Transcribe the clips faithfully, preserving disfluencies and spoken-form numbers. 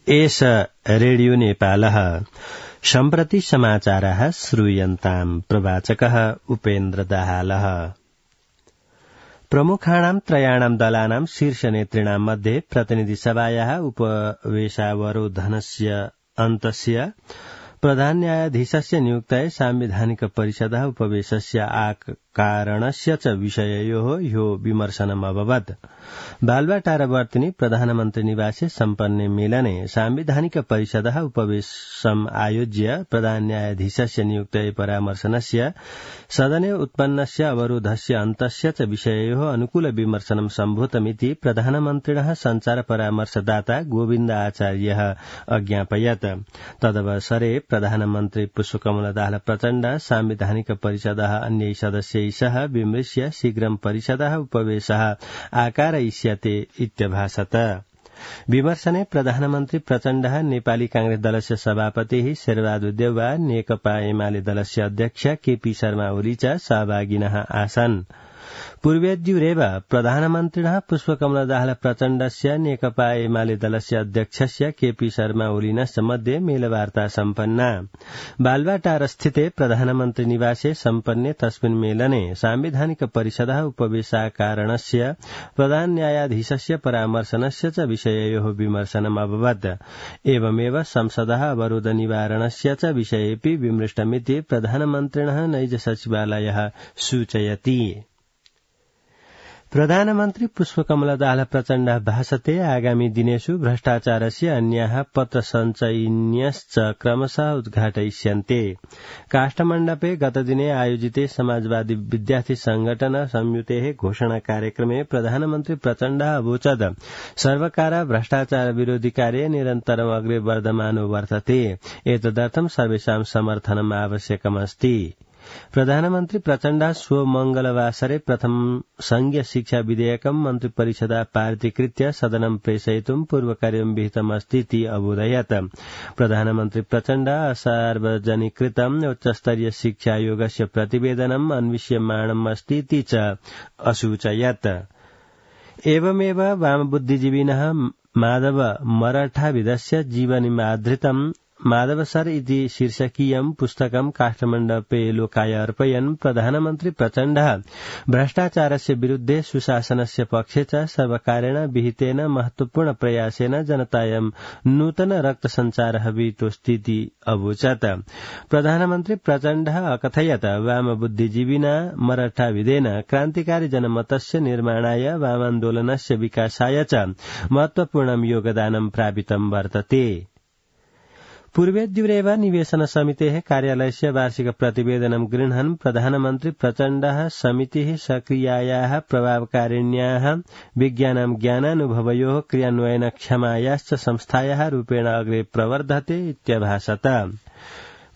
एष रेडियो नेपालः सम्प्रति समाचारः श्रूयन्ताम् प्रवाचकः उपेन्द्र दाहालः। प्रमुखाणां त्रयाणां दलानां शीर्षनेतृणां मध्ये प्रतिनिधिसभायाः उपवेशावरोधनस्य अन्तस्य प्रधान न्यायाधीशस्य नियुक्तये सांविधानिक परिषदः उपवेशस्य आकारणस्य च विषययोः ह्यो विमर्शनम् अभवत्। बालुवाटारवर्तिनि प्रधानमन्त्री निवासे सम्पन्ने मेलने सांविधानिक परिषदः उपवेशम् आयोज्य प्रधान न्यायाधीशस्य नियुक्तये परामर्शनस्य सदने उत्पन्नस्य अवरोधस्य अन्तस्य च विषययोः अनुकूल विमर्शनं सम्भूतमिति प्रधानमन्त्रिणः सञ्चार परामर्शदाता गोविन्द आचार्यः अज्ञापयत्। तदवसरे प्रधानमन्त्री पुष्पकमल दाहाल प्रचण्ड सांविधानिक परिषदः अन्यै सदस्यै सह विमृश्य शीघ्रं परिषदः उपवेशः आकारयिष्यते इत्यभाषत। विमर्शने प्रधानमन्त्री प्रचण्डः नेपाली कांग्रेस दलस्य सभापतिः शेरबहादुर देउवा, नेकपा एमाले दलस्य अध्यक्ष केपी शर्मा ओली च सहभागिनः आसन्। पूर्वेद्युरेव प्रधानमन्त्रिणः पुष्पकमल दाहाल प्रचण्डस्य नेकपा एमाले दलस्य अध्यक्षस्य केपी शर्मा ओलिनश्च मध्ये मेलवार्ता सम्पन्ना। बालुवाटारस्थिते प्रधानमन्त्री निवासे सम्पन्ने तस्मिन् मेलने सांविधानिक परिषदः उपवेशाकारणस्य प्रधान न्यायाधीशस्य परामर्शनस्य च विषययोः विमर्शनम् अभवत्। एवमेव संसदः अवरोध निवारणस्य च विषयेऽपि विमृष्टमिति प्रधानमन्त्रिणः नैज सचिवालयः सूचयति। प्रधानमन्त्री पुष्पकमल दाहाल प्रचण्डः भाषते आगामी दिनेषु भ्रष्टाचारस्य अन्याः पत्रसञ्चयिन्यश्च क्रमशः उद्घाटयिष्यन्ते। काष्ठमण्डपे गतदिने आयोजिते समाजवादी विद्यार्थी संगठन संयुतेः घोषणा कार्यक्रमे प्रधानमन्त्री प्रचण्डः अवोचत् सर्वकार भ्रष्टाचार विरोधी कार्ये निरन्तरम् अग्रे वर्धमानो वर्तते, एतदर्थं सर्वेषां समर्थनम् आवश्यकमस्ति। प्रधानमन्त्री प्रचण्डः श्व मंगलवासरे प्रथम संघीय शिक्षा विधेयकं मन्त्रिपरिषदा पारितीकृत्य सदनं प्रेषयितुं पूर्वकार्यं विहितमस्तीति अबोधयत्। प्रधानमन्त्री प्रचण्डः असार्वजनिकृतं उच्चस्तरीय शिक्षायोगस्य प्रतिवेदनम् अन्विष्यमाणमस्तीति च असूचयत्। एवमेव वामबुद्धिजीविनः माधव मराठाविदस्य जीवनीमाधृतं माधव सर इति शीर्षकीयं पुस्तकं काष्ठमण्डपे लोकाय अर्पयन् प्रधानमन्त्री प्रचण्डः भ्रष्टाचारस्य विरुद्धे सुशासनस्य पक्षे च सर्वकारेण विहितेन महत्वपूर्ण प्रयासेन जनतायां नूतन रक्तसञ्चारः विहितोऽस्तीति अवोचत्। प्रधानमन्त्री प्रचण्डः अकथयत् वामबुद्धिजीविना मराठाविदेन क्रान्तिकारी जनमतस्य निर्माणाय वामान्दोलनस्य विकासाय च महत्वपूर्णं योगदानं प्रापितं वर्तते। पूर्वेद्युरेव निवेशन समितेः कार्यालयस्य वार्षिक प्रतिवेदनं गृह्णन् प्रधानमन्त्री प्रचण्डः समितिः सक्रियायाः प्रभावकारिण्याः विज्ञानं ज्ञानानुभवयोः क्रियान्वयनक्षमायाश्च संस्थायाः रूपेण अग्रे प्रवर्धते इत्यभाषत।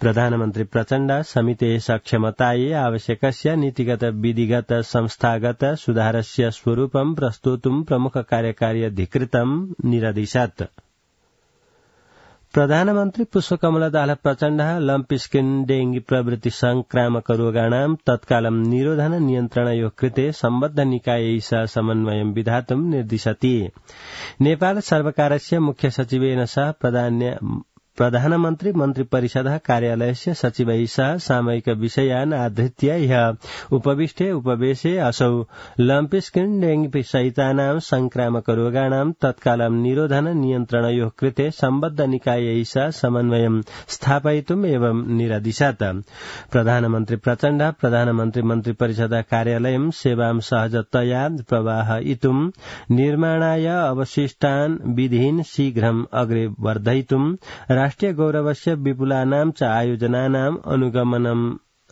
प्रधानमन्त्री प्रचण्ड समितेः सक्षमतायै आवश्यकस्य नीतिगत विधिगत संस्थागत सुधारस्य स्वरूपं प्रस्तोतुं प्रमुख कार्यकारी अधिकृतं निरदिशत्। प्रधानमन्त्री पुष्पकमल दाहाल प्रचण्डः लम्प स्किन डेंगी प्रभृति संक्रामक रोगाणां तत्कालं निरोधन नियन्त्रणयोः कृते सम्बद्ध निकायैः सह समन्वयं विधातुं निर्दिशति। नेपाल सर्वकारस्य मुख्य सचिवेन सह प्रधान प्रधानमन्त्री मन्त्रिपरिषदः कार्यालयस्य सचिवैः सह सामयिक विषयान् आधृत्य ह्यः उपविष्टे उपवेशे असौ लम्प स्किन डेंगी सहितानां संक्रामक रोगाणां तत्कालं निरोधन नियन्त्रणयोः कृते सम्बद्ध निकायैः सह समन्वयं स्थापयितुम् एवं निरदिशत्। प्रधानमन्त्री प्रचण्ड प्रधानमन्त्री मन्त्रिपरिषदः कार्यालयं सेवां सहजतया प्रवाहयितुं निर्माणाय अवशिष्टान् विधीन् शीघ्रम् अग्रे वर्धयितुं राष्ट्रिय गौरवस्य विपुलानां च आयोजनानाम् अनुगमनं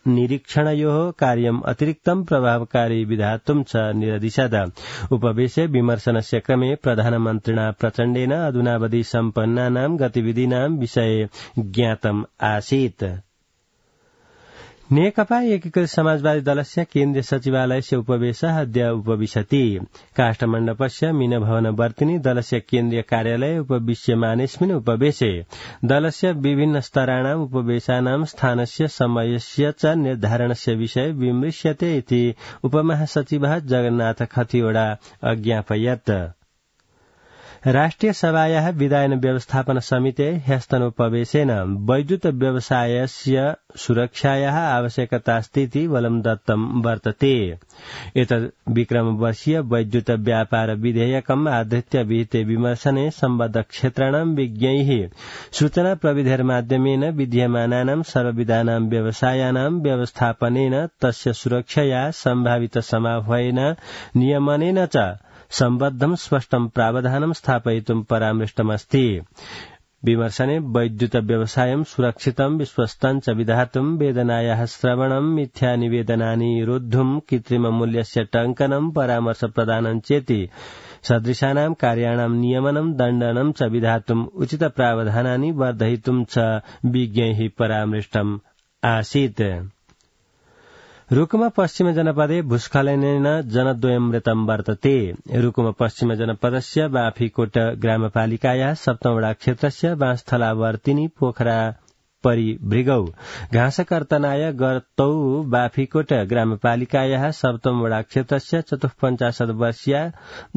निरीक्षणयोः कार्यम् अतिरिक्तं प्रभावकारी विधातुं च निरदिशत्। उपवेशे विमर्शनस्य क्रमे प्रधानमन्त्रिणा प्रचण्डेन अधुनावधि सम्पन्नानां गतिविधीनां विषये ज्ञातम् आसीत्। नेकपा एकीकृत समाजवादी दलस्य केन्द्रीय सचिवालयस्य उपवेशः अद्य उपविशति। काष्ठमण्डपस्य मीनभवनवर्तिनि दलस्य केन्द्रीय कार्यालये उपविश्यमानेऽस्मिन् उपवेशे दलस्य विभिन्न स्तराणाम् उपवेशानां स्थानस्य समयस्य च निर्धारणस्य विषये विमृश्यते इति उपमहासचिवः जगन्नाथ खतिवड़ा अज्ञापयत्। राष्ट्रिय सभायाः विधायन व्यवस्थापन समिते ह्यस्तनोपवेशेन वैद्युत व्यवसायस्य सुरक्षायाः आवश्यकतास्तीति बलं दत्तं वर्तते। एतद् विक्रमवर्षीय वैद्युत व्यापार विधेयकम् आधृत्य विहिते विमर्शने सम्बद्ध क्षेत्राणां विज्ञैः सूचना प्रविधिर्माध्यमेन विद्यमानानां सर्वविधानां व्यवसायानां व्यवस्थापनेन तस्य सुरक्षया सम्भावित समाह्वयेन नियमनेन च सम्बद्धं स्पष्टं प्रावधानं स्थापयितुं परामृष्टमस्ति। विमर्शने वैद्युत व्यवसायं सुरक्षितं विश्वस्तं च विधातुं वेदनायाः श्रवणं मिथ्या निवेदनानि रोद्धुं कृत्रिममूल्यस्य टङ्कनं परामर्श प्रदानं चेति सदृशानां कार्याणां नियमनं दण्डनं च विधातुं उचित प्रावधानानि वर्धयितुं च विज्ञैः परामृष्टम् आसीत्। रुकुम पश्चिम जनपदे भूस्खलनेन जनद्वयं मृतं वर्तते। रुकुम पश्चिम जनपदस्य बाफीकोट ग्रामपालिकायाः सप्तमवडा क्षेत्रस्य बाँस्थलावर्तिनी पोखरा परिभृगौ घाँसकर्तनाय गतौ बाफीकोट ग्रामपालिकायाः सप्तमवडा क्षेत्रस्य चतुःपञ्चाशत् वर्षीया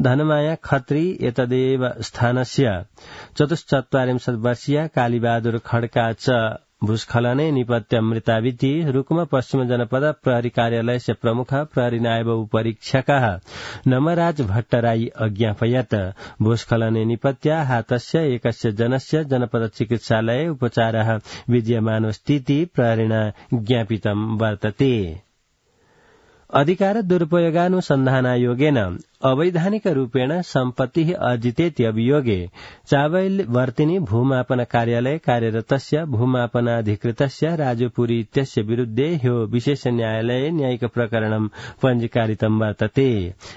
धनमाया खत्री एतदेव स्थानस्य चतुश्चत्वारिंशत् वर्षीया कालीबहादुर खड्का च भूस्खलने निपत्य मृताविति रुकुम पश्चिम जनपद प्रहरी कार्यालयस्य प्रमुख प्रहरी नायब उपरीक्षकः नमराज भट्टराई अज्ञापयत्। भूस्खलने निपत्य हातस्य एकस्य जनस्य जनपद चिकित्सालये उपचारः विद्यमानोऽस्तीति प्रहरिणा ज्ञापितं वर्तते। अधिकार दुरुपयोगानुसन्धानायोगेन अवैधानिक रूपेण सम्पत्तिः अर्जितेति अभियोगे चावैलवर्तिनी भूमापन कार्यालये कार्यरतस्य भूमापनाधिकृतस्य राजुपुरी इत्यस्य विरुद्धे ह्यो विशेष न्यायालये न्यायिक प्रकरणं पञ्जीकारितं वर्तते।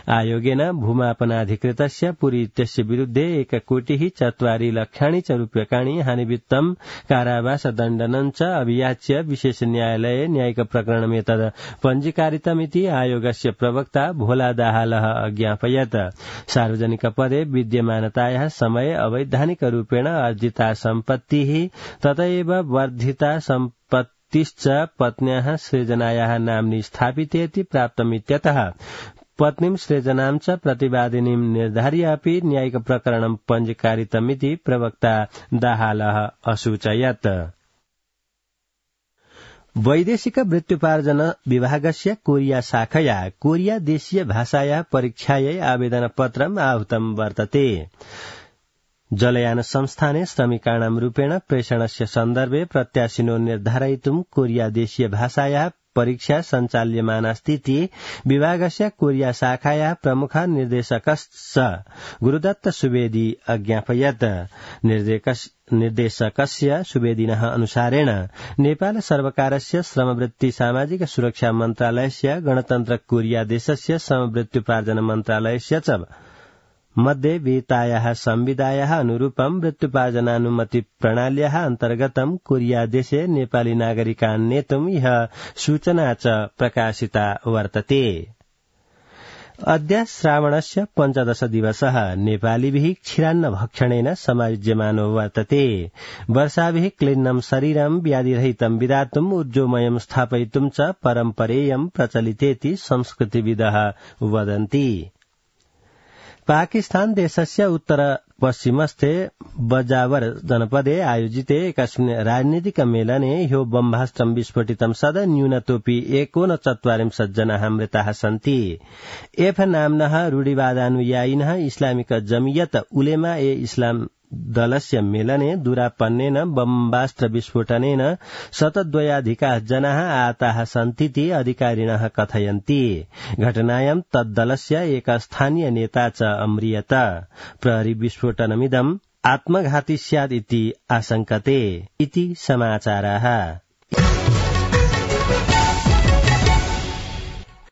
आयोगेन भूमापनाधिकृतस्य पुरी इत्यस्य विरुद्धे एककोटिः चत्वारि लक्षाणि च रूप्यकाणि हानिवित्तं कारावासदण्डनं च अभियाच्य विशेष न्यायालये न्यायिक प्रकरणमेतद् पञ्जीकारितमिति आयोगस्य प्रवक्ता भोला दाहालः अज्ञापयत्। सार्वजनिक पदे विद्यमानतायाः समये अवैधानिक रूपेण अर्जिता सम्पत्तिः तथैव वर्धिता सम्पत्तिश्च पत्न्याः सृजनायाः नाम्नि स्थापितेति प्राप्तमित्यतः पत्नीं सृजनां च प्रतिवादिनीं निर्धार्य अपि न्यायिक प्रकरणं पञ्जीकारितमिति प्रवक्ता दाहालः असूचयत्। वैदेशिक वृत्त्युपार्जन विभागस्य कोरिया शाखया कोरिया देशीय भाषायाः परीक्षायै आवेदनपत्रम् आहूतं वर्तते। जलयान संस्थाने श्रमिकाणां रूपेण प्रेषणस्य सन्दर्भे प्रत्याशिनो निर्धारयितुं कोरिया देशीय भाषायाः परीक्षा सञ्चाल्यमानास्तीति विभागस्य कोरिया शाखायाः प्रमुख निर्देशकश्च गुरुदत्त सुवेदी अज्ञापयत्। निर्देशकस्य सुवेदिनः अनुसारेण नेपाल सर्वकारस्य श्रमवृत्ति सामाजिक सुरक्षा मन्त्रालयस्य गणतन्त्र कोरिया देशस्य श्रमवृत्त्युपार्जन मन्त्रालयस्य च मध्ये विहितायाः संविधायाः अनुरूपं वृत्त्युपार्जनानुमति प्रणाल्याः अन्तर्गतं कोरिया देशे नेपाली नागरिकान् नेतुम् इह सूचना च प्रकाशिता वर्तते। अद्य श्रावणस्य पञ्चदश दिवसः नेपालीभिः क्षीरान्न भक्षणेन समायोज्यमानो वर्तते। वर्षाभिः क्लिन्नं शरीरं व्याधिरहितं विधातुम् ऊर्जोमयं स्थापयितुं च परम्परेयं प्रचलितेति संस्कृतिविदः वदन्ति। पाकिस्तान देशस्य उत्तर पश्चिमस्थे बजावर जनपदे आयोजिते एकस्मिन् राजनीतिक मेलने ह्यो बम्बास्त्रं विस्फोटितं सदा न्यूनतोऽपि एकोनचत्वारिंशत् जनाः मृताः सन्ति। एफ नाम्नः रूढिवादानुयायिनः इस्लामिक जमियत उलेमा ए इस्लाम दलस्य मेलने दुरापन्नेन बम्बास्त्र विस्फोटनेन शतद्वयाधिकाः जनाः आहताः सन्तीति अधिकारिणः कथयन्ति। घटनायां तद्दलस्य एक स्थानीय नेता च अम्रियत। प्रहरी विस्फोटनमिदम् आत्मघाती स्यात् इति आशंकते इति समाचाराः।